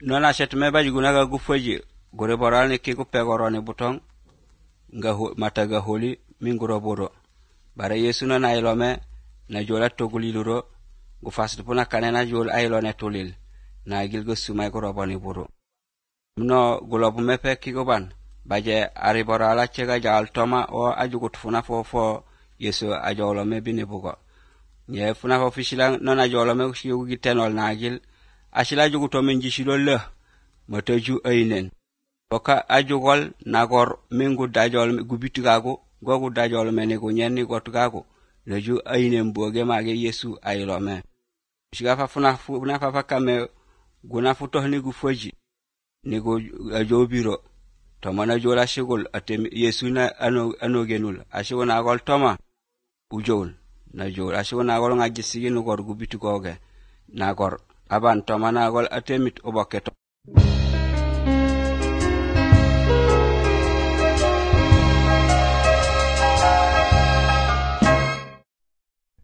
nona shetme ba juguna ga gufaji gore boral ne ke ko pegorone butong nga mataga holi minguro boro bare yesu na nailome na jola toguliluro gu fasdu puna kanena jol ailone tolil na gilgo sumay ko robani boro no gulobu mepe kigoban baje ari borala chega jal toma o ajugut funa fofo yesu ajolome binibugo nye funa fo fishilang nona jolome yugi tenol nagil ashila juguto men jishilo le matoju ainen oka ajugol nagor mengu dajol gubitigago gogu dajol menego nyenni gotgago leju ainen boge mage yesu ayilome shiga fa funa fa kame guna futo ni gufoji nego ajobiro to mana jola shigol atem yesu na anogenul ashigona gol toma ujol na jol ashigona gol ngajisi no gor gubitigoge nagor aban to mana gol atemit oboketo